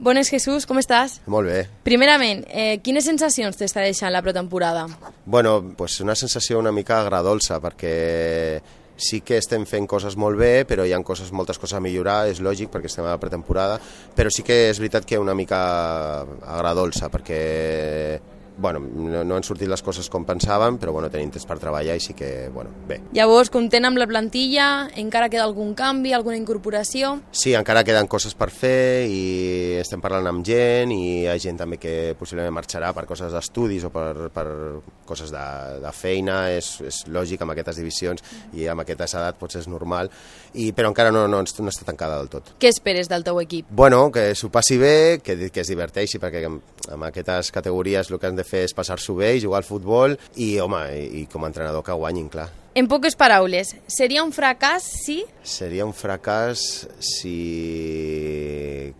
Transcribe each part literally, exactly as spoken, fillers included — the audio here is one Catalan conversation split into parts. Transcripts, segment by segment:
Bones, Jesús, com estàs? Molt bé. Primerament, eh, quines sensacions t'està deixant la pretemporada? Bueno, pues una sensació una mica agradolça, perquè sí que estem fent coses molt bé, però hi ha coses, moltes coses a millorar, és lògic, perquè estem a la pretemporada, però sí que és veritat que una mica agradolça, perquè bueno, no, no han sortit les coses com pensàvem, però bueno, tenim temps per treballar i sí que, bueno, bé. Llavors, content amb la plantilla, encara queda algun canvi, alguna incorporació? Sí, encara queden coses per fer i estem parlant amb gent i hi ha gent també que possiblement marxarà per coses d'estudis o per, per coses de, de feina, és, és lògic amb aquestes divisions i amb aquesta edat potser és normal, i, però encara no, no, no està tancada del tot. Què esperes del teu equip? Bueno, que s'ho passi bé, que, que es diverteixi, perquè amb, amb aquestes categories el que han de fer és passar-s'ho bé i jugar al futbol i, home, i, i com a entrenador que guanyin, clar. En poques paraules, seria un fracàs si... Seria un fracàs si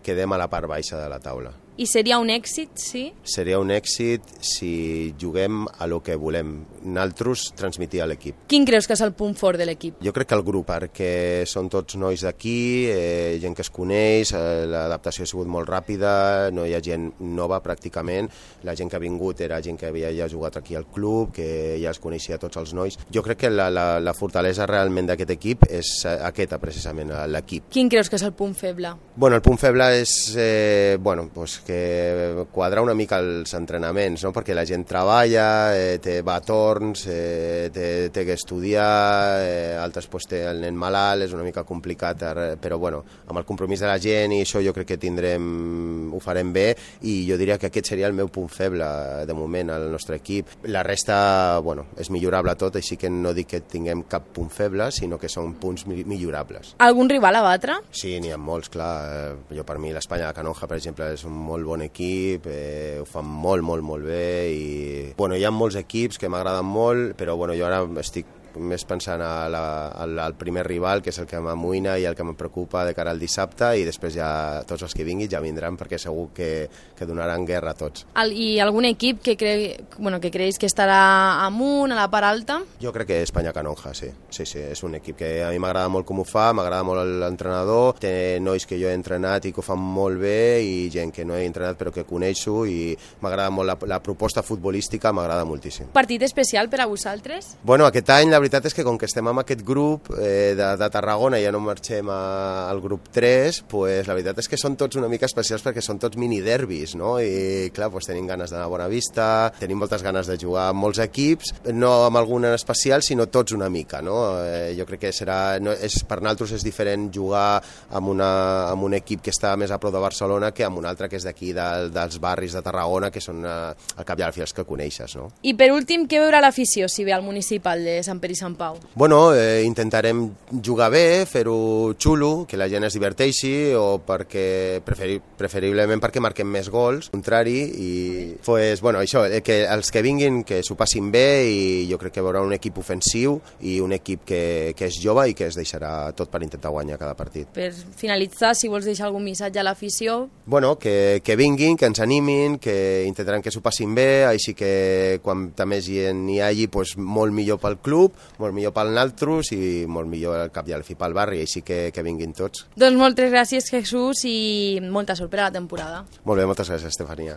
quedem a la part baixa de la taula. I seria un èxit, sí? Seria un èxit si juguem a lo que volem nosaltres transmitir a l'equip. Quin creus que és el punt fort de l'equip? Jo crec que el grup, perquè són tots nois d'aquí, eh, gent que es coneix, eh, l'adaptació ha sigut molt ràpida, no hi ha gent nova pràcticament, la gent que ha vingut era gent que havia ja jugat aquí al club, que ja es coneixia tots els nois. Jo crec que la, la, la fortalesa realment d'aquest equip és aquesta, precisament, l'equip. Quin creus que és el punt feble? Bueno, el punt feble és eh, bueno, pues que quadrar una mica els entrenaments, no? Perquè la gent treballa, eh, té, va a torns, eh, té, té que estudiar, eh, altres pues, té el nen malalt, és una mica complicat, però bueno, amb el compromís de la gent i això jo crec que tindrem, ho farem bé, i jo diria que aquest seria el meu punt feble de moment al nostre equip. La resta, bueno, és millorable tot, així que no dic que tinguem cap punt feble, sinó que són punts millorables. Algun rival a batre? Sí, n'hi ha molts, clar. Jo per mi l'Espanya de Canonja, per exemple, és un molt bon equip, eh, ho fan molt, molt, molt bé i bueno, hi ha molts equips que m'agraden molt, però bueno, jo ara estic més pensant a la, al, al primer rival, que és el que m'amoïna i el que em preocupa de cara al dissabte, i després ja tots els que vinguin ja vindran, perquè segur que, que donaran guerra a tots. El, I algun equip que, cre... bueno, que creus que estarà amunt, a la part alta? Jo crec que Espanya Canonja, sí. Sí, sí, és un equip que a mi m'agrada molt com ho fa, m'agrada molt l'entrenador, té nois que jo he entrenat i que ho fan molt bé, i gent que no he entrenat però que coneixo, i m'agrada molt la, la proposta futbolística, m'agrada moltíssim. Partit especial per a vosaltres? Bueno, aquest any la veritat és que com que estem amb aquest grup eh, de, de Tarragona i ja no marxem a, al grup tres, pues, la veritat és que són tots una mica especials perquè són tots mini-derbis, no? I clar, pues, tenim ganes d'anar a Bonavista, tenim moltes ganes de jugar amb molts equips, no amb algun en especial, sinó tots una mica, no? Eh, jo crec que serà, no, és, per nosaltres és diferent jugar amb, una, amb un equip que està més a prop de Barcelona que amb un altre que és d'aquí, de, dels barris de Tarragona, que són eh, al cap i a la fi els que coneixes, no? I per últim, què veurà l'afició si ve al municipal de Sant Pere i Sant Pau? Bueno, eh, intentarem jugar bé, fer-ho xulo, que la gent es diverteixi, o perquè preferi, preferiblement perquè marquem més gols, contrari, i pues, bueno, això, eh, que els que vinguin que s'ho passin bé, i jo crec que veurà un equip ofensiu i un equip que, que és jove i que es deixarà tot per intentar guanyar cada partit. Per finalitzar, si vols deixar algun missatge a l'afició... Bueno, que, que vinguin, que ens animin, que intentaran que s'ho passin bé, així que quan més gent hi hagi, pues, molt millor pel club, molt millor pel naltros i molt millor al cap i al fi pel barri, així que, que vinguin tots. Doncs moltes gràcies, Jesús, i molta sort per a la temporada. Molt bé, moltes gràcies, Estefania.